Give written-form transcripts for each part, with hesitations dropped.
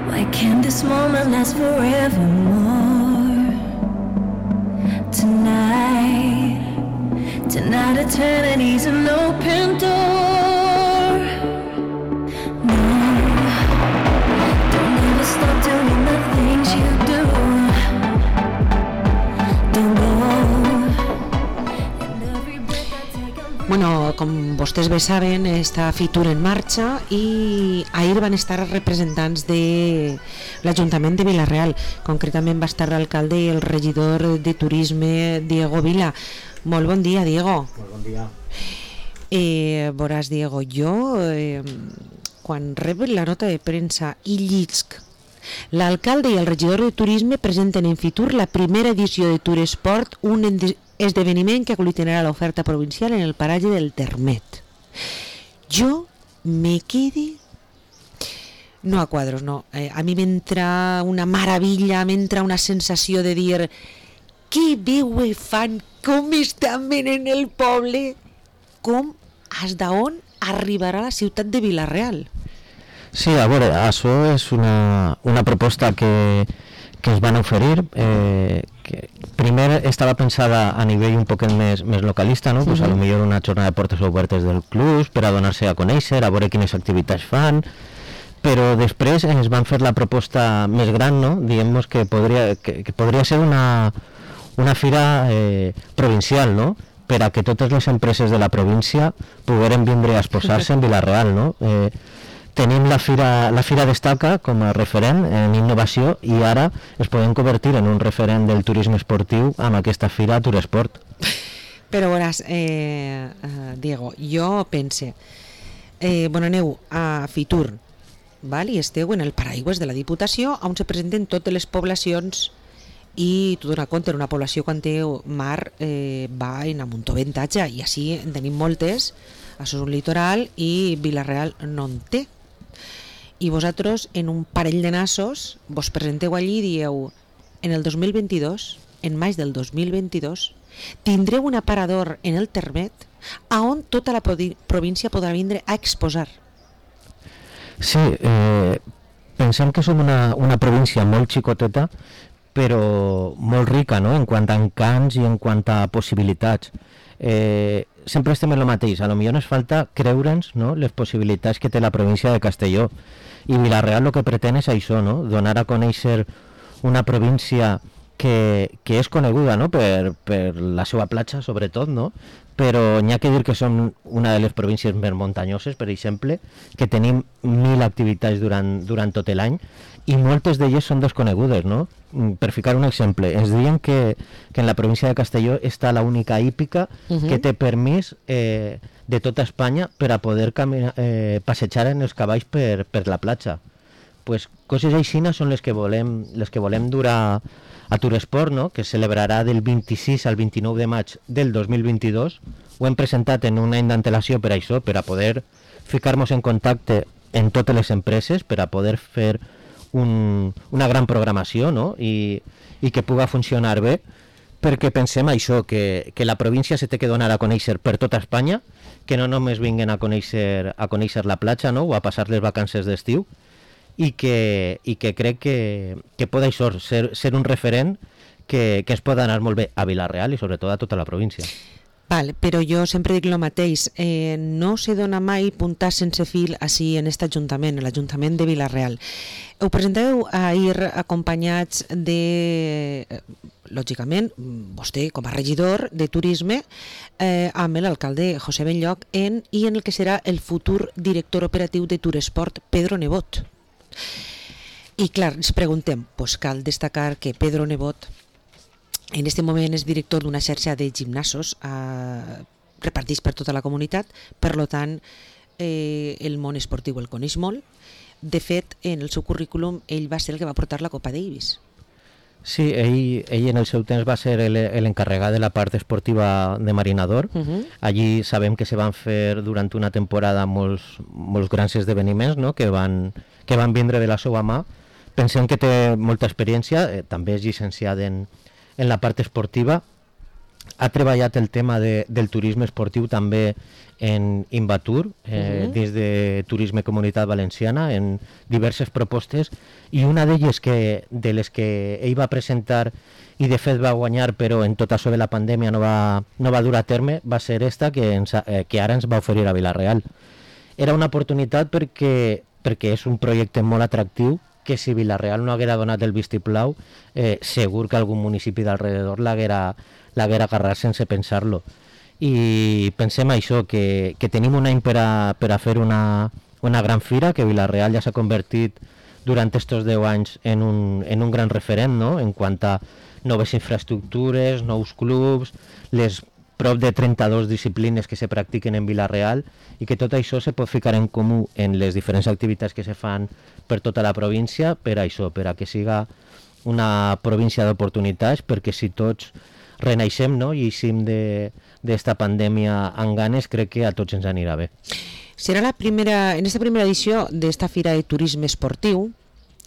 Why can't this moment last forevermore? Tonight eternity's an open door. No, don't ever stop doing the things you do. Don't go. Bueno, com vostès bé saben, està Fitur en marxa i ahir van estar representants de l'Ajuntament de Vila-real. Concretament va estar l'alcalde i el regidor de Turisme, Diego Vila. Molt bon dia, Diego. Molt bon dia. Veuràs, Diego, jo quan rep la nota de premsa i llisc l'alcalde i el regidor de Turisme presenten en Fitur la primera edició de Turesport, un esdeveniment que aglutinarà l'oferta provincial en el paratge del Termet. Jo me quedi... No a quadros, no. A mi m'entra una meravella, m'entra una sensació de dir que bé ho fan, com estan venent el poble, com, des d'on arribarà la ciutat de Vila-real. Sí, a veure, això és una proposta que ens van oferir, que primer estava pensada a nivell un poquet més localista, no? Pues a lo millor una jornada de portes obertes del club per a donar-se a conèixer, a veure quines activitats fan, però després ens van fer la proposta més gran, no? Diguem-nos que podria ser una fira provincial, no? Per a que totes les empreses de la província pogueren vindre a exposar-se en Vila-real, no? Tenim la Fira Destaca com a referent en innovació i ara es podem convertir en un referent del turisme esportiu amb aquesta Fira Turesport. Però veuràs, Diego, jo pense, aneu a Fitur, val? I esteu en el paraigües de la Diputació on se presenten totes les poblacions i tu donar compte, una població quan té mar va en amuntoventatge i així en tenim moltes, això és un litoral i Vila-real no en té. I vosaltres en un parell de nassos vos presenteu allí i dieu en el 2022, en maig del 2022 tindreu un aparador en el Termet on tota la província podrà vindre a exposar. Sí, pensem que som una província molt xicoteta però molt rica, no? En quant a encants i en quant a possibilitats. Sempre estem en el mateix, a lo millor ens falta creure'ns, no? Les possibilitats que té la província de Castelló, i Vila-real el que pretén és això, no? Donar a conèixer una província que és coneguda, no? per la seva platja sobretot, no? Però n'hi ha que dir que som una de les províncies més muntanyoses, per exemple, que tenim 1.000 activitats durant tot l'any i moltes d'elles són desconegudes, no? Per ficar un exemple, ens diuen que en la província de Castelló està l'única hípica que té permís de tota Espanya per a poder passejar en els cavalls per la platja. Pues coses així són les que volem dur a Turesport, no? Que es celebrarà del 26 al 29 de maig del 2022. Ho hem presentat en un any d'antelació per això, per a poder ficar-nos en contacte en totes les empreses, per a poder fer una gran programació, no? I que puga funcionar bé, perquè pensem això, que la província se té que donar a conèixer per tota Espanya, que no només vinguen a conèixer la platja, no? O a passar les vacances d'estiu, i que crec que pot això ser un referent que es pot anar molt bé a Vila-real i sobretot a tota la província. Val, però jo sempre dic el mateix, no se dona mai puntar sense fil així en aquest ajuntament, l'Ajuntament de Vila-real. Ho presenteu ahir acompanyats de, lògicament, vostè com a regidor de Turisme, amb l'alcalde José Benlloch i en el que serà el futur director operatiu de Turesport, Pedro Nebot. I clar, ens preguntem, doncs cal destacar que Pedro Nebot en aquest moment és director d'una xarxa de gimnasos repartits per tota la comunitat, per tant el món esportiu el coneix molt. De fet, en el seu currículum ell va ser el que va portar la Copa Davis. Sí, ell en el seu temps va ser l'encarregat de la part esportiva de Marinador. Allí sabem que se van fer durant una temporada molts grans esdeveniments, no? que van vindre de la seva mà. Pensem que té molta experiència, també és llicenciat en la part esportiva ha treballat el tema del turisme esportiu també en Invatur, dins de Turisme Comunitat Valenciana, en diverses propostes, i una d'elles de les que ell va presentar i de fet va guanyar, però en tot això de la pandèmia no va dur a terme, va ser esta que ara ens va oferir a Vila-real. Era una oportunitat perquè és un projecte molt atractiu, que si Vila-real no haguera donat el vistiplau, segur que algun municipi d'alrededor l'haguera agarrat sense pensar-lo. I pensem això, que tenim un any per a fer una gran fira, que Vila-real ja s'ha convertit durant estos 10 anys en un gran referent, no?, en quant a noves infraestructures, nous clubs, les prop de 32 disciplines que se practiquen en Vila-real, i que tot això se pot ficar en comú en les diferents activitats que se fan per tota la província, per això, per a que siga una província d'oportunitats, perquè si tots renaixem, no?, i eixim d'esta pandèmia amb ganes, crec que a tots ens anirà bé. Serà en esta primera edició d'esta Fira de Turisme Esportiu.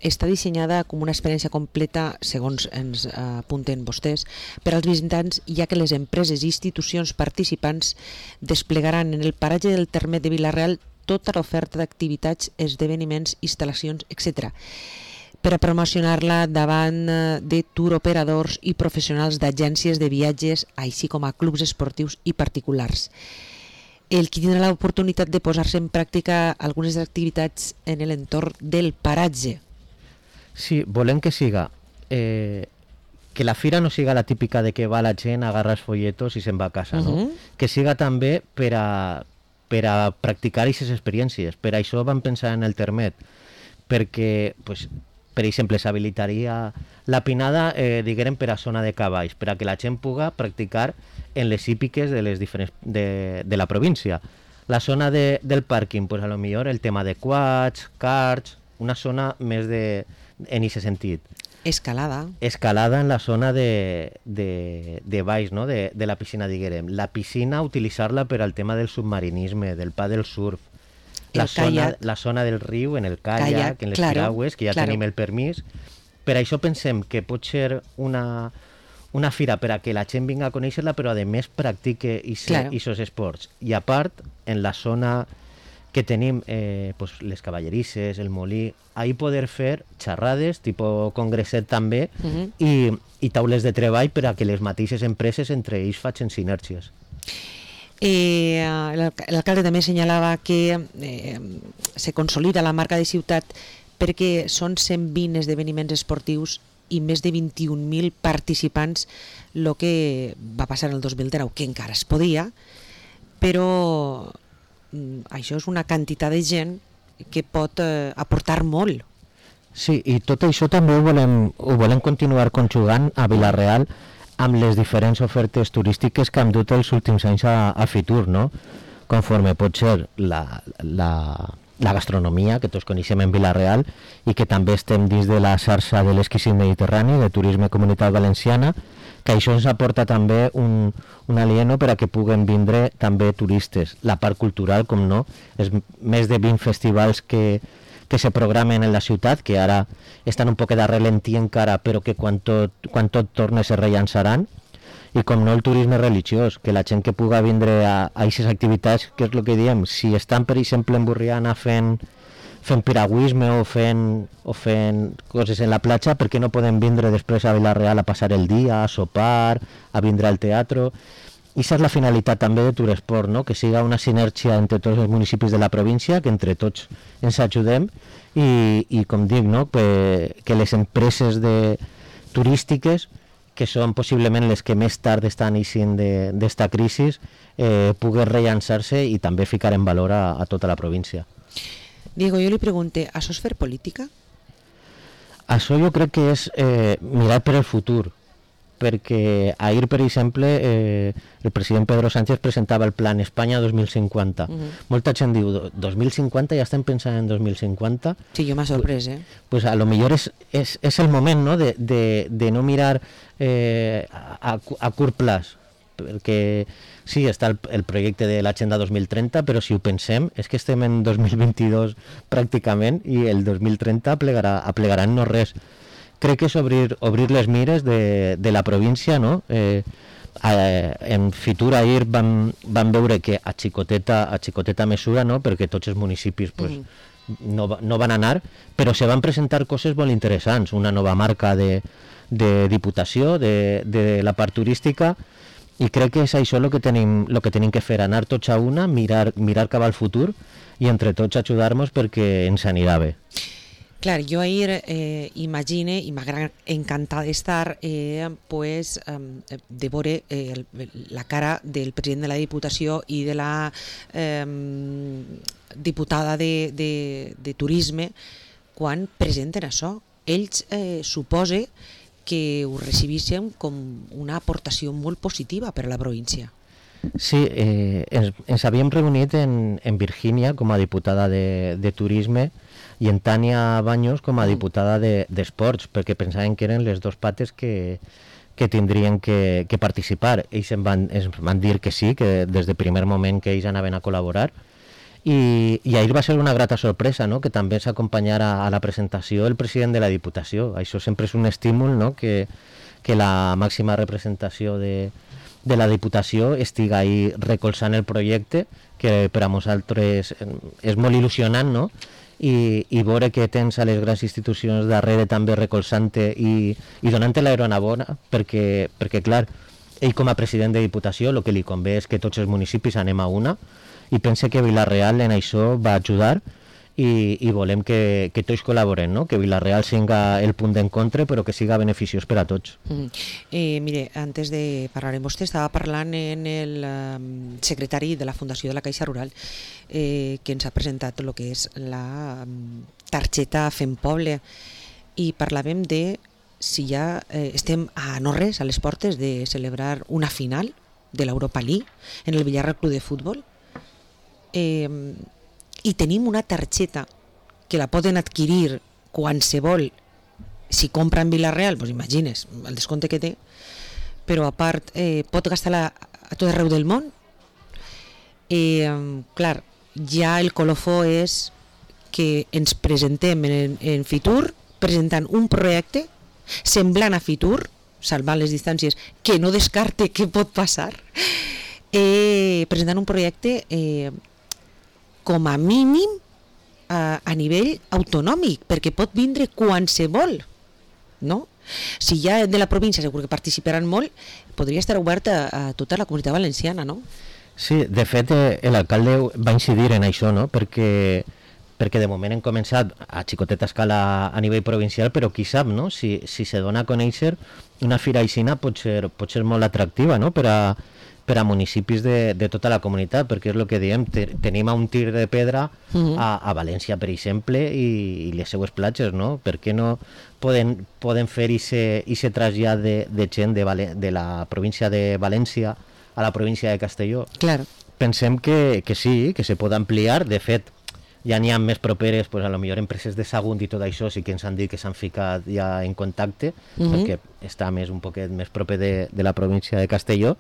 Està dissenyada com una experiència completa, segons ens apunten vostès, per als visitants, ja que les empreses i institucions participants desplegaran en el paratge del terme de Vila-real tota l'oferta d'activitats, esdeveniments, instal·lacions, etc., per a promocionar-la davant de tour operadors i professionals d'agències de viatges, així com a clubs esportius i particulars. El qui tindrà l'oportunitat de posar-se en pràctica algunes activitats en l'entorn del paratge. Sí, volem que siga que la fira no siga la típica de que va la gent, agarra els folletos i se'n va a casa, no? Que siga també per a practicar aquestes experiències. Per això vam pensar en el termet, perquè, pues, per exemple, s'habilitaria la pinada, diguem, per a zona de cavalls, per a que la gent puga practicar en les hípiques de les diferents de la província. La zona del pàrquing, pues, a lo millor el tema de quads, karts, una zona més en aquest sentit. Escalada en la zona de baix, no?, de la piscina, diguem. La piscina, utilitzar-la per al tema del submarinisme, del paddle surf, la zona del riu, en el kayak, en les piragües, que ja tenim el permís. Per això pensem que pot ser una fira per a que la gent vinga a conèixer-la, però a més practique aquests esports. I a part, en la zona que tenim pues, les cavallerisses, el molí, ahí poder fer xerrades, tipus congresset també, i taules de treball per a que les mateixes empreses entre ells facin sinergies. L'alcalde també assenyalava que se consolida la marca de ciutat perquè són 120 esdeveniments esportius i més de 21.000 participants, el que va passar el 2019, que encara es podia, però això és una quantitat de gent que pot aportar molt. Sí, i tot això també ho volem continuar conjugant a Vila-real amb les diferents ofertes turístiques que hem dut els últims anys a Fitur, no? Conforme pot ser la gastronomia, que tots coneixem en Vila-real, i que també estem dins de la xarxa de l'exquisit mediterrani, de Turisme Comunitat Valenciana, que això ens aporta també un alieno per a que puguen vindre també turistes. La part cultural, com no, és més de 20 festivals que se programen en la ciutat, que ara estan un poc de ralentí encara, però que quan tot torne se rellançaran. I com no, el turisme religiós, que la gent que puga vindre a aquestes activitats, que és el que diem, si estan, per exemple, en Borriana fent piragüisme o fent coses en la platja, per què no poden vindre després a Vila-real a passar el dia, a sopar, a vindre al teatre? I aquesta és la finalitat també de Turesport, no? Que siga una sinergia entre tots els municipis de la província, que entre tots ens ajudem i com dic, no? Que les empreses turístiques, que són possiblement les que més tard estan eixint d'esta crisi, puguen rellançar-se i també ficar en valor a tota la província. Diego, jo li pregunte, això és fer política? Això jo crec que és mirar per el futur, perquè ahir, per exemple, el president Pedro Sánchez presentava el Plan Espanya 2050. Molta gent diu, 2050, ja estem pensant en 2050? Sí, jo m'ha sorprès, Pues a lo millor és el moment, no?, de no mirar a curt plaç, perquè sí, està el projecte de l'Agenda 2030, però si ho pensem, és que estem en 2022 pràcticament i el 2030 aplegarà en no res. Crec que és obrir les mires de la província, no? en Fitur ahir vam veure que a xicoteta mesura, no? Perquè tots els municipis pues, no van anar, però se van presentar coses molt interessants, una nova marca de diputació, de la part turística, i crec que és això el que tenim que fer, anar tots a una, mirar cap al futur i entre tots ajudar-nos perquè ens anirà bé. Clar, jo ahir imagine, i m'agrada encantar d'estar, pues, de veure la cara del president de la Diputació i de la diputada de Turisme quan presenten això. Ells supose que ho recibíssim com una aportació molt positiva per a la província. Sí, ens havíem reunit en Virgínia com a diputada de Turisme i en Tània Baños com a diputada d'Esports, perquè pensaven que eren les dues pates que tindrien que participar. Ells ens van dir que sí, que des del primer moment que ells anaven a col·laborar, i ahir va ser una grata sorpresa, no? Que també s'acompanyara a la presentació el president de la Diputació. Això sempre és un estímul, no? Que la màxima representació de la Diputació estiga ahí recolzant el projecte, que per a nosaltres és molt il·lusionant, no? I veure que tens a les grans institucions darrere també recolzant-te i donant-te l'enhorabona, perquè clar, ell com a president de Diputació el que li convé és que tots els municipis anem a una, i pense que Vila-real en això va ajudar i volem que tots col·laborem, no? Que Vila-real siga el punt d'encontre però que siga beneficiós per a tots. Mire, antes de parlar amb vostè, estava parlant en el secretari de la Fundació de la Caixa Rural que ens ha presentat el que és la targeta Fem Poble, i parlàvem de si ja estem a no res, a les portes de celebrar una final de l'Europa League en el Villarreal Club de Futbol, i tenim una targeta que la poden adquirir qualsevol, si compra en Vila-real, doncs imagines el descompte que té, però a part pot gastar-la a tot arreu del món. Clar, ja el colofó és que ens presentem en Fitur presentant un projecte semblant a Fitur, salvant les distàncies, que no descarte què pot passar, presentant un projecte com a mínim a nivell autonòmic, perquè pot vindre qualsevol, no? Si ja de la província segur que participaran molt, podria estar oberta a tota la comunitat valenciana, no? Sí, de fet l'alcalde va incidir en això, no? Perquè de moment hem començat a xicoteta escala a nivell provincial, però qui sap, no? Si se dona a conèixer, una fira aixina pot ser molt atractiva, no? Per a municipis de tota la comunitat, perquè és el que diem, tenim a un tir de pedra a València, per exemple, i les seues platges, no? Per què no poden fer ese trasllat de gent de la província de València a la província de Castelló? Claro. Pensem que sí, que se pot ampliar. De fet, ja n'hi ha més properes, pues, a lo millor empreses de Sagunt i tot això sí que ens han dit que s'han ficat ja en contacte, perquè està un poquet més proper de la província de Castelló,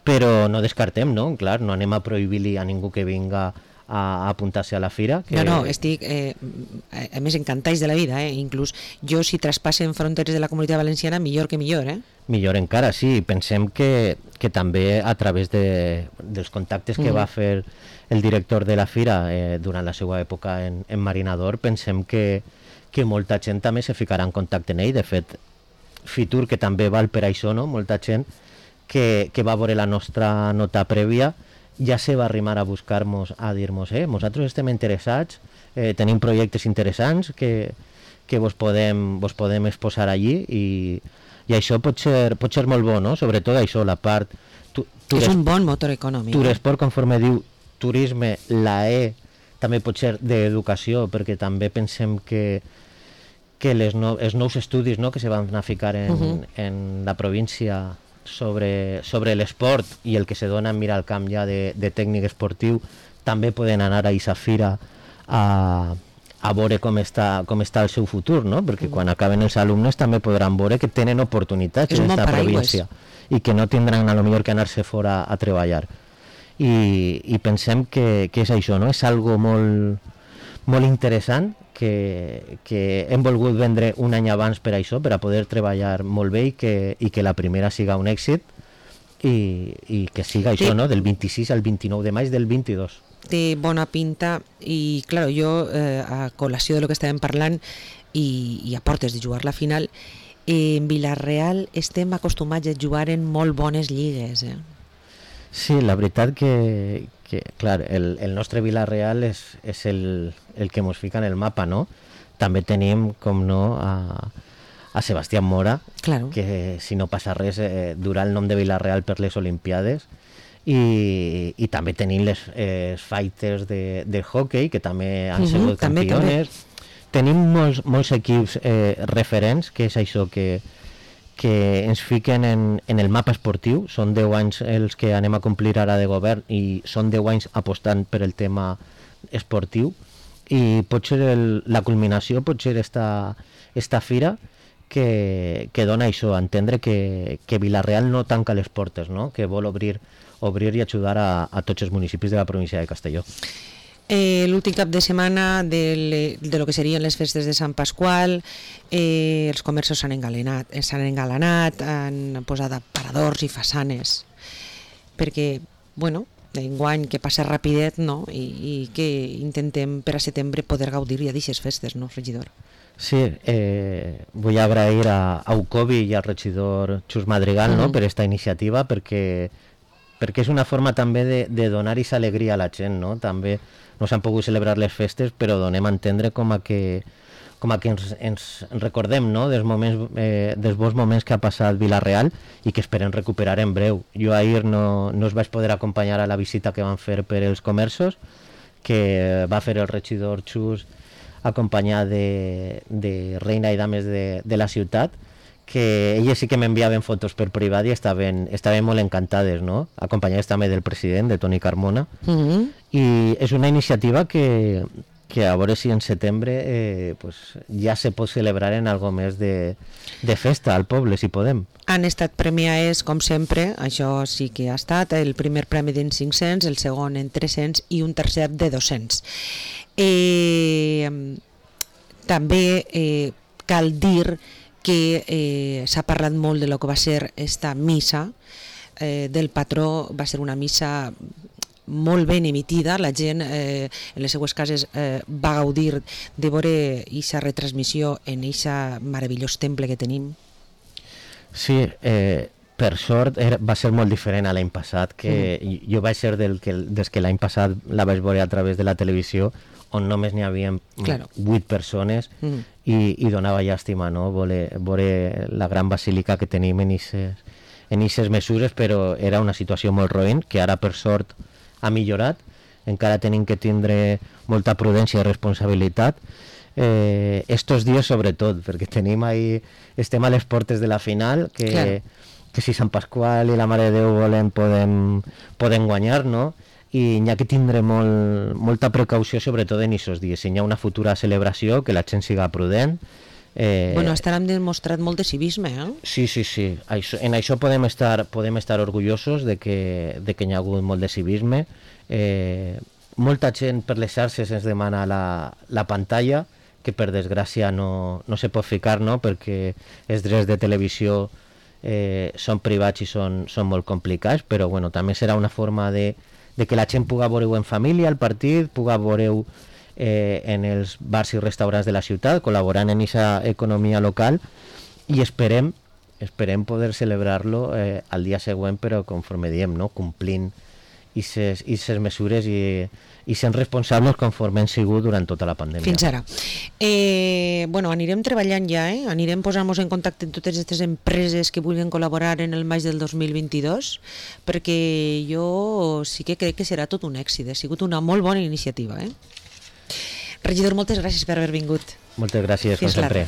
però no descartem, no? Clar, no anem a prohibir-li a ningú que vinga a apuntar-se a la fira. No, estic a més encantats de la vida, inclús jo si traspassen fronteres de la comunitat valenciana millor que millor. Millor encara, sí. Pensem que també a través dels contactes que va fer el director de la fira durant la seva època en Marinador, pensem que molta gent també se ficarà en contacte amb ell. De fet, Fitur, que també val per això, no? Molta gent que va veure la nostra nota prèvia ja se va arrimar a buscar-nos, a dir-nos nosaltres estem interessats, tenim projectes interessants que vos podem exposar allí, i això pot ser molt bo, no? Sobretot això, la part... És un bon motor econòmic. Turesport, conforme diu Turisme, la també pot ser d'educació, perquè també pensem que els nous estudis, no?, que se van a ficar en la província sobre l'esport i el que se dona en mirar al camp ja de tècnic esportiu, també poden anar a aquesta fira a veure com està el seu futur, no? Perquè quan acaben els alumnes també podran veure que tenen oportunitats en aquesta província i que no tindran a lo millor que anar-se fora a treballar. I pensem que és això, no? És algo molt interessant que hem volgut vendre un any abans per això, per a poder treballar molt bé i que la primera siga un èxit, i que siga això, no? Del 26 al 29 de maig del 22. Té bona pinta i, clar, jo a col·lació de lo que estàvem parlant i a portes de jugar la final, en Vila-real estem acostumats a jugar en molt bones lligues. Sí, la veritat que clar, el nostre Vila-real és el que mos fica en el mapa, no? També tenim, com no, a Sebastián Mora, claro, que si no passa res durà el nom de Vila-real per les Olimpiades, i també tenim les fighters de hockey, que també han sigut campiones. Tenim molts equips referents, que és això que ens fiquen en el mapa esportiu. Són 10 anys els que anem a complir ara de govern i són 10 anys apostant per el tema esportiu, i pot ser la culminació, pot ser esta fira que dona això, a entendre que Vila-real no tanca les portes, no? Que vol obrir i ajudar a tots els municipis de la província de Castelló. L'últim cap de setmana de lo que serien les festes de Sant Pasqual, els comerços s'han engalanat, han posat aparadors i façanes, perquè, bueno, enguany que passa rapidet, no? I que intentem per a setembre poder gaudir ja d'aquestes festes, no, regidor? Sí, vull agrair a UCOBI i al regidor Xus Madrigal, no, per esta iniciativa, perquè és una forma també de donar aquesta alegria a la gent, no? També no s'han pogut celebrar les festes, però donem a entendre com a que ens recordem, no? dels bons moments que ha passat Vila-real i que esperem recuperar en breu. Jo ahir no us vaig poder acompanyar a la visita que van fer per els comerços, que va fer el regidor Xus acompanyat de reina i dames de la ciutat, que elles sí que m'enviaven fotos per privat i estaven molt encantades, no? Acompanyades també del president, de Toni Carmona. I és una iniciativa que a veure si en setembre ja se pot celebrar en algo més de festa al poble, si podem. Han estat premiades, com sempre, això sí que ha estat, el primer premi d'en 500, el segon en 300 i un tercer de 200. També cal dir que s'ha parlat molt de lo que va ser esta missa del patró. Va ser una missa molt ben emitida, la gent en les seues cases va gaudir de veure aquesta retransmissió en aquest meravellós temple que tenim. Sí, per sort va ser molt diferent a l'any passat, que jo vaig ser des que l'any passat la vaig veure a través de la televisió, on només n'hi havia 8 persones i donava llàstima, no? Veure la gran basílica que tenim en aquestes mesures, però era una situació molt roïn, que ara per sort ha millorat. Encara tenim que tindre molta prudència i responsabilitat estos dies sobretot, perquè estem a les portes de la final, que si Sant Pasqual i la Mare de Déu volen poden guanyar, no? I n'hi ha que tindre molta precaució, sobretot en aquests dies. Si hi ha una futura celebració, que la gent siga prudent. Bueno, han demostrat molt de civisme, eh? Sí. En això podem estar orgullosos de que hi ha hagut molt de civisme. Molta gent per les xarxes ens demana la pantalla, que per desgràcia no se pot ficar, no? Perquè els drets de televisió són privats i són molt complicats, però bueno, també serà una forma de que la gent pugui veure-ho en família, el partit, pugui veure-ho en els bars i restaurants de la ciutat, col·laborant en aquesta economia local, i esperem poder celebrar-lo al dia següent, però conforme diem, no? Complint aquestes mesures i sent responsables conforme han sigut durant tota la pandèmia. Fins ara. Bueno, anirem treballant ja, anirem posant-nos en contacte amb totes aquestes empreses que vulguin col·laborar en el maig del 2022, perquè jo sí que crec que serà tot un èxit. Ha sigut una molt bona iniciativa. Regidor, moltes gràcies per haver vingut. Moltes gràcies, com sempre.